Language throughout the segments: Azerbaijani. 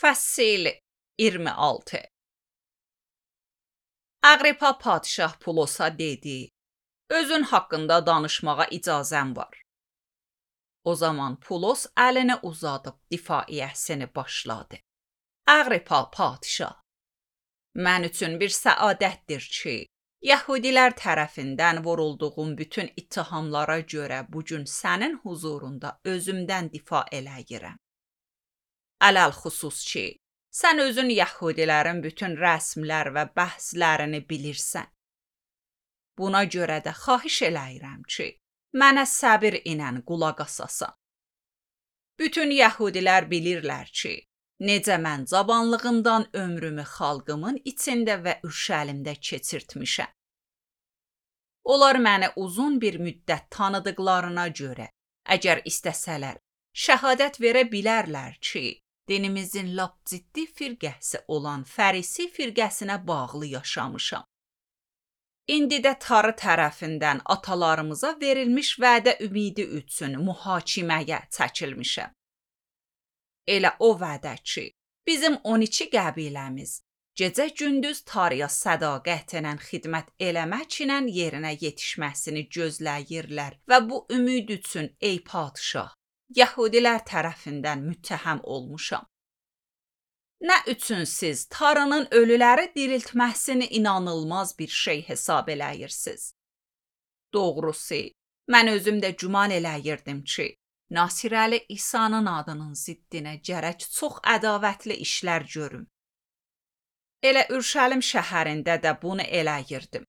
Fəsil 26. Aqripa padşah Pulosa dedi, özün haqqında danışmağa icazən var. O zaman Pulos əlini uzadıb difaiyəsini başladı. Aqripa padşah, mən üçün bir səadətdir ki, Yəhudilər tərəfindən vurulduğum bütün ittihamlara görə bugün sənin huzurunda özümdən difa eləyirəm. Ələlxüsus ki, sən özün Yəhudilərin bütün rəsmlər və bəhslərini bilirsən. Buna görə də xahiş eləyirəm ki, mənə səbir ilə qulaq asasan. Bütün Yəhudilər bilirlər ki, necə mən cavanlığımdan ömrümü xalqımın içində və Ürşəlimdə keçirtmişəm. Onlar məni uzun bir müddət tanıdıqlarına görə, əgər istəsələr, şəhadət verə bilərlər ki, dinimizin lap ciddi firqəsi olan Fərisi firqəsinə bağlı yaşamışam. İndi də Tarı tərəfindən atalarımıza verilmiş vədə ümidi üçün mühakiməyə çəkilmişəm. Elə o vədə ki, bizim 12 qəbiləmiz gecə-gündüz Tarıya sədaqətlə xidmət eləməklə yerinə yetişməsini gözləyirlər və bu ümid üçün ey padşah, Yəhudilər tərəfindən müttəhəm olmuşam. Nə üçün siz Tarının ölüləri diriltməsini inanılmaz bir şey hesab eləyirsiniz? Doğrusu, mən özüm də güman eləyirdim ki, Nasirəli İsa'nın adının ziddinə gərək çox ədavətli işlər görüm. Elə Ürşəlim şəhərində də bunu eləyirdim.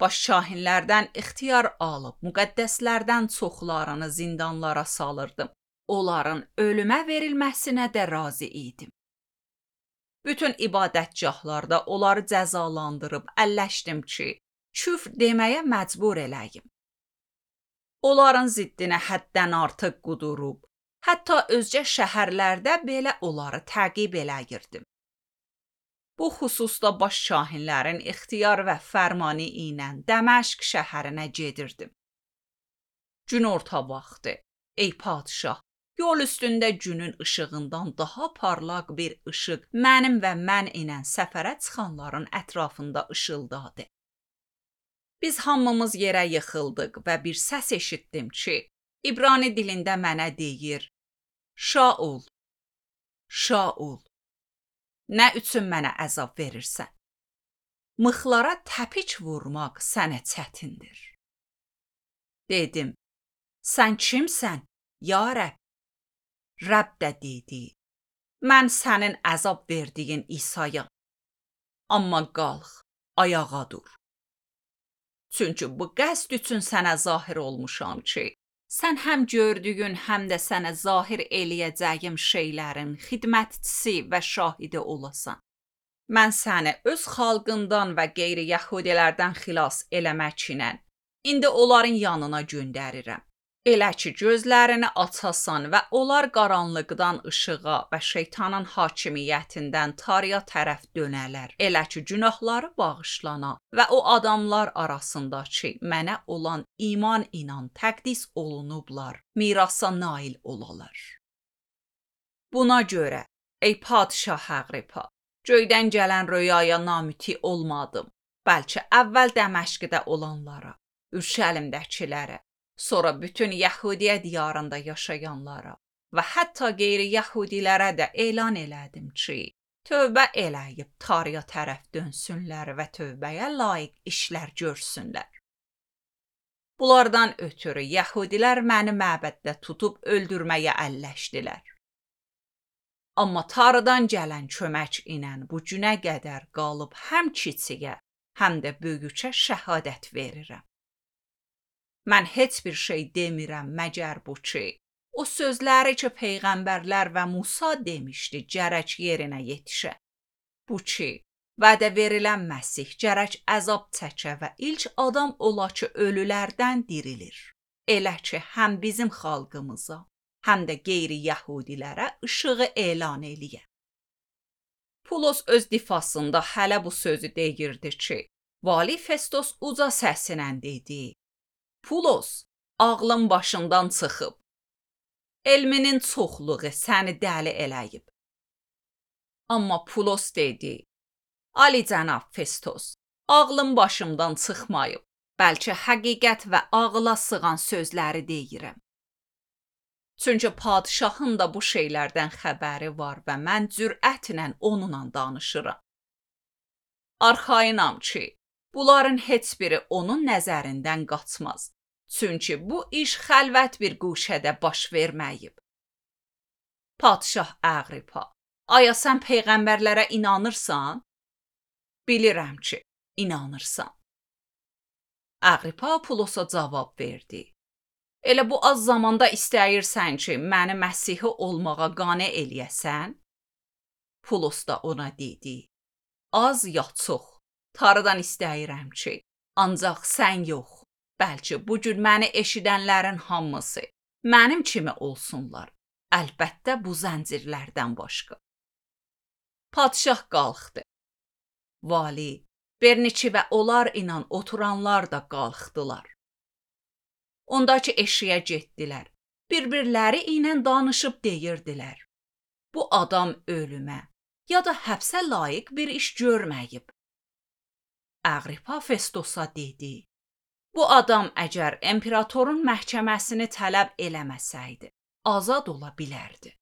Başşahinlərdən ixtiyar alıb, müqəddəslərdən çoxlarını zindanlara salırdım. Onların ölümə verilməsinə də razı idim. Bütün ibadətgahlarda onları cəzalandırıb əlləşdim ki, küfr deməyə məcbur eləyim. Onların ziddinə həddən artıq qudurub, hətta özcə şəhərlərdə belə onları təqib eləyirdim. Bu xüsusda başşahinlərin ixtiyar və fərmanı ilə Dəməşq şəhərinə gedirdim. Günorta vaxtı, ey padşah, yol üstündə günün işığından daha parlaq bir işıq mənim və mən ilə səfərə çıxanların ətrafında ışıldadı. Biz hamımız yerə yıxıldıq və bir səs eşitdim ki, İbrani dilində mənə deyir, Şaul, Şaul, nə üçün mənə əzab verirsən? Mıxlara təpik vurmaq sənə çətindir. Dedim, sən kimsən, ya Rəbb? Rəbb də dedi, mən sənin əzab verdiyin İsa'yam. Amma qalx, ayağa dur. Çünki bu qəsd üçün sənə zahir olmuşam ki, sən həm gördüyün, həm də sənə zahir eləyəcəyim şeylərin xidmətçisi və şahidi olasan. Mən səni öz xalqından və qeyri-Yəhudilərdən xilas eləmək ilə indi onların yanına göndərirəm. Elə ki, gözlərini açasan və onlar qaranlıqdan işığa və şeytanın hakimiyyətindən Tarıya tərəf dönələr. Elə ki, günahları bağışlana və o adamlar arasında ki, mənə olan iman ilə təqdis olunublar, mirasa nail olalar. Buna görə, ey padşah Aqripa, göydən gələn röyaya namüti olmadım, bəlkə əvvəl Dəməşqdə olanlara, Ürşəlimdəkilərə, sonra bütün Yəhudiyə diyarında yaşayanlara və hətta qeyri-Yəhudilərə də elan elədim ki, tövbə eləyib Tarıya tərəf dönsünlər və tövbəyə layiq işlər görsünlər. Bunlardan ötürü Yəhudilər məni məbəddə tutub öldürməyə əlləşdilər. Amma Tarıdan gələn kömək ilə bu günə qədər qalıb həm kiçiyə, həm də böyükə şəhadət verirəm. Mən heç bir şey demirəm məgər bu ki, o sözləri ki, peyğəmbərlər və Musa demişdi, gərək yerinə yetişə. Bu ki, vədə verilən Məsih gərək əzab çəkə və ilk adam ola ki, ölülərdən dirilir. Elə ki, həm bizim xalqımıza, həm də qeyri-Yəhudilərə işığı elan eləyə. Pulos öz difasında hələ bu sözü deyirdi ki, Vali Festos uca səsilə dedi, Pulos, ağlın başından çıxıb. Elminin çoxluğu səni dəli eləyib. Amma Pulos dedi: Ali cənab Festos, ağlım başımdan çıxmayıb. Bəlkə həqiqət və ağla sığan sözləri deyirəm. Çünki padşahın da bu şeylərdən xəbəri var və mən cürətlə onunla danışıram. Arxayınam ki, bunların heç biri onun nəzərindən qaçmaz. Çünki bu iş xəlvət bir quşədə baş verməyib. Padşah Aqripa, aya sən peyğəmbərlərə inanırsan? Bilirəm ki, inanırsan. Aqripa Pulosa cavab verdi. Elə bu az zamanda istəyirsən ki, məni Məsihi olmağa qane eləyəsən? Pulos da ona dedi. Az ya çox, Tanrıdan istəyirəm ki, ancaq sən yox, bəlkə bu gün məni eşidənlərin hamısı mənim kimi olsunlar. Əlbəttə bu zəncirlərdən başqa. Padşah qalxdı. Vali, Berniçi və onlar ilə oturanlar da qalxdılar. Ondakı eşiyə getdilər. Bir-birləri ilə danışıb deyirdilər. Bu adam ölümə ya da həbsə layiq bir iş görməyib. Aqripa Festosa dedi. Bu adam əgər imperatorun məhkəməsini tələb eləməsəydi, azad ola bilərdi.